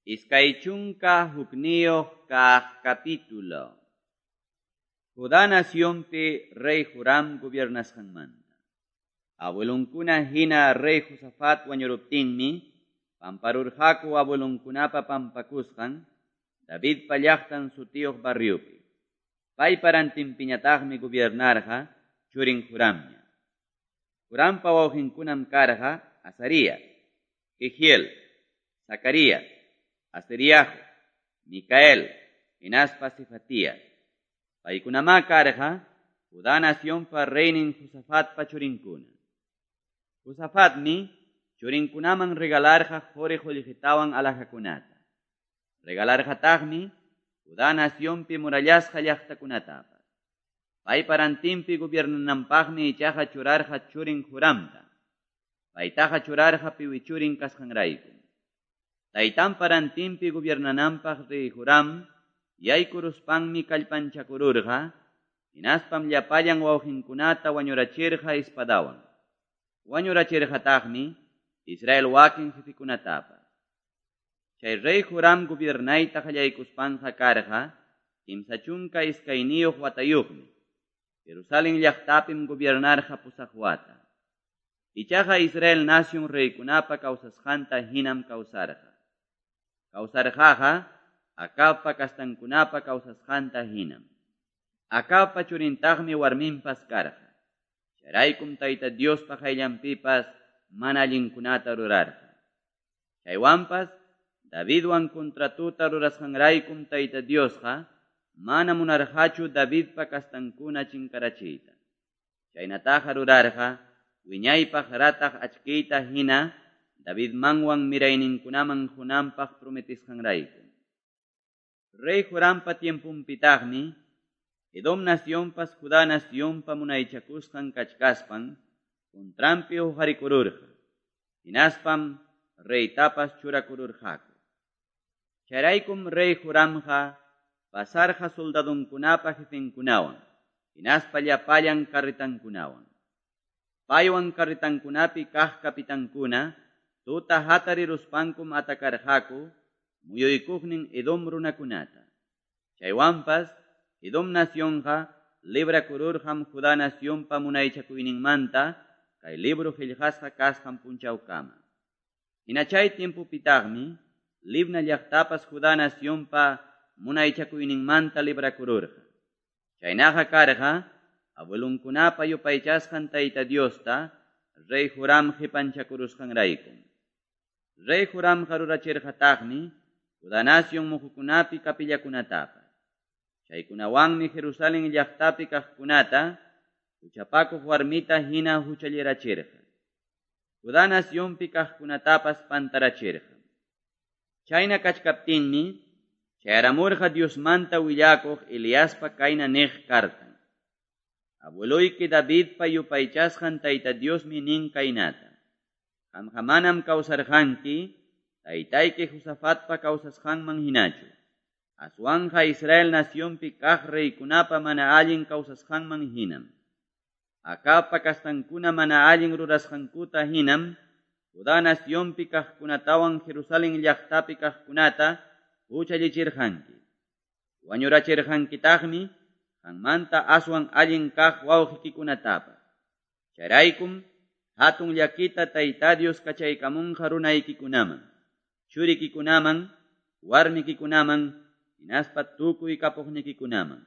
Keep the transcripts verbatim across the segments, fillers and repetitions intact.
Iskay chunka hukniyuq kaq capítulo. Judá nacionpi rey Joram gobiernasqanmanta. Abuelonkuna hina rey Josafat wañuruptinmi, pamparurqaku abuelonkunapa pampakusqan, Davidpa llaqtan sutiyuq barriopi. Paypa rantinpiñataqmi gobiernarqa churin Joramña. Jorampa wawqinkunam karqa Azarías, Jehiel, Zacarías, Azariahu, Micael, hinaspa Cefatías. Paykunamá karqa Judá nacionpa reynin Josafatpa churinkuna. Josafatmi churinkunaman regalarqa quri qullqitawan alhajakunata. Regalarqataqmi Judá nacionpi murallasqa llaqtakunatapas. Paypa rantinpi gobiernananpaqmi ichaqa churarqa churin Joramta. Paytaqa churarqa piwi churin kasqanrayku. Taytanpa rantinpi gobiernananpaq rey Joram yaykuruspanmi kallpanchakururqa, hinaspam llapallan wawqinkunata wañurachirqa espadawan. Wañurachirqataqmi Israel wakin jefikunatapas. Chay rey Joram gobiernayta qallaykuspanqa karqa kimsa chunka iskayniyuq watayuqmi. Jerusalén llaqtapim gobiernarqa pusaq wata. Ichaqa Israel nación reykunapa kawsasqanta hinam kawsarqa. Kawsarqaqa Acabpa kastankunapa kawsasqanta hinam. Acabpa churintaqmi warminpas karqa. Chayraykum Tayta Diospa qayllanpipas mana allinkunata rurarqa. Chaywanpas Davidwan contratuta rurasqanraykum Tayta Diosqa mana munarqachu Davidpa kastankuna chinkarachiyta. Chaynataqa rurarqa wiñaypaq rataq achkiyta hina Davidmanwan mirayninkunaman qunanpaq prometisqanrayku. Rey Jorampa tiempunpitaqmi Edom nacionpas Judá nacionpa munaychakusqan kachkaspan contranpi huqarikururqa. Hinaspam reytapas churakururqaku. Chayraykum rey Joramqa pasarqa soldadunkunapa jefenkunawan, hinaspa llapallan carretankunawan. Paywan carretankunapi kaq kapitankuna tuta hatariruspankum atakarqaku muyuykuqnin Edom runakunata. Chaywanpas Edom nacionqa librakururqam Judá nacionpa munaychakuyninmanta kay libro qillqasqa kasqan punchawkama. Hina chay tiempopitaqmi Libna llaqtapas Judá nacionpa munaychakuyninmanta librakururqa. Chaynaqa karqa abuelunkunapa yupaychasqan Tayta Diosta rey Joram qipanchakurusqanraykum. Rey Joramqa rurachirqataqmi Judá nación muhukunapi kapillakunatapas. Chaykunawanmi Jerusalén llaqtapi kaqkunata huchapakuq warmita hina huchallirachirqa. Judá nacionpi kaqkunatapas pantarachirqa. Chayna kachkaptinmi chayaramurqa Diosmanta willakuq Eliaspa kayna niq kartan. Abueloyki Davidpa yupaychasqan Tayta Diosmi nin kaynata. Qamqa manam kawsarqanki taytayki Josafatpa kawsasqanman hinachu. Aswanqa Israel nacionpi kaq reykunapa mana allin kawsasqanman hinam. Acabpa kastankuna mana allin rurasqankuta hinam, Judá nacionpi kaqkunatawan Jerusalén llaqtapi kaqkunata huchallichirqanki. Wañurachirqankitaqmi qanmanta aswan allin kaq wawqikikunatapas. Chayraykum hatun llakita Tayta Dios kachaykamunqa runaykikunaman, churikikunaman, warmikikunaman, hinaspa tukuy kapuqnikikunaman.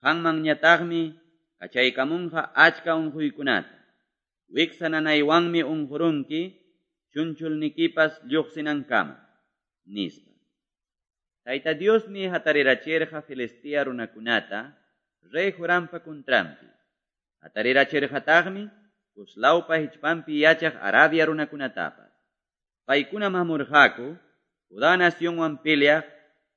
Qanmanñataqmi kachaykamunqa achka unquykunata. Wiksa nanaywanmi unqurunki, chunchulnikipas lluqsinankama, nispa. Tayta Diosmi hatarirachirqa Filistea runakunata rey Jorampa contranpi. Hatarirachirqataqmi Cuslawpa hichpanpi yachaq Arabia runakunatapas. Paykunam hamurqaku Judá nacionwan peleaq,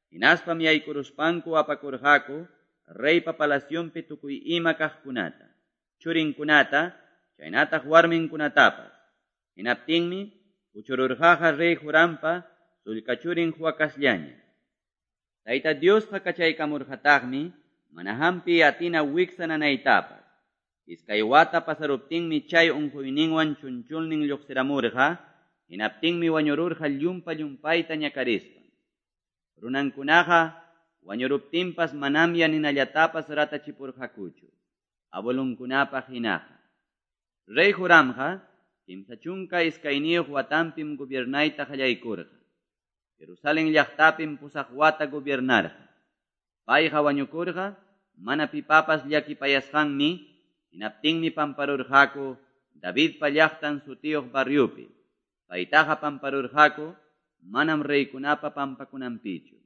hinaspam yaykuruspanku apakurqaku reypa palacionpi tukuy ima kaqkunata, churinkunata, chaynataq warminkunatapas. Hinaptinmi puchururqaqa rey Jorampa sullka churin Joacasllaña. Tayta Diosqa kachaykamurqataqmi mana hampi atina wiksa nanaytapas. Iskay wata pasaruptinmi chay unquyninwan chunchulnin lluqsiramurqa, hinaptinmi wañururqa llumpa-llumpayta ñakarispan. Runankunaqa wañuruptinpas manamya ninallatapas ratachipurqakuchu abuelonkunapaq hinaqa. Rey Joramqa kimsa chunka iskayniyoq watanpim gobiernayta qallaykurqa. Jerusalen llaqtapim pusaq wata gobiernarqa. Payqa wañukurqa mana pipapas llakipayasqanmi, hinaptinmi pamparurqaku Davidpa Llaqtan sutiyoq barriopi. Paytaqa pamparurqaku manam reykunapa pampakunanpichu.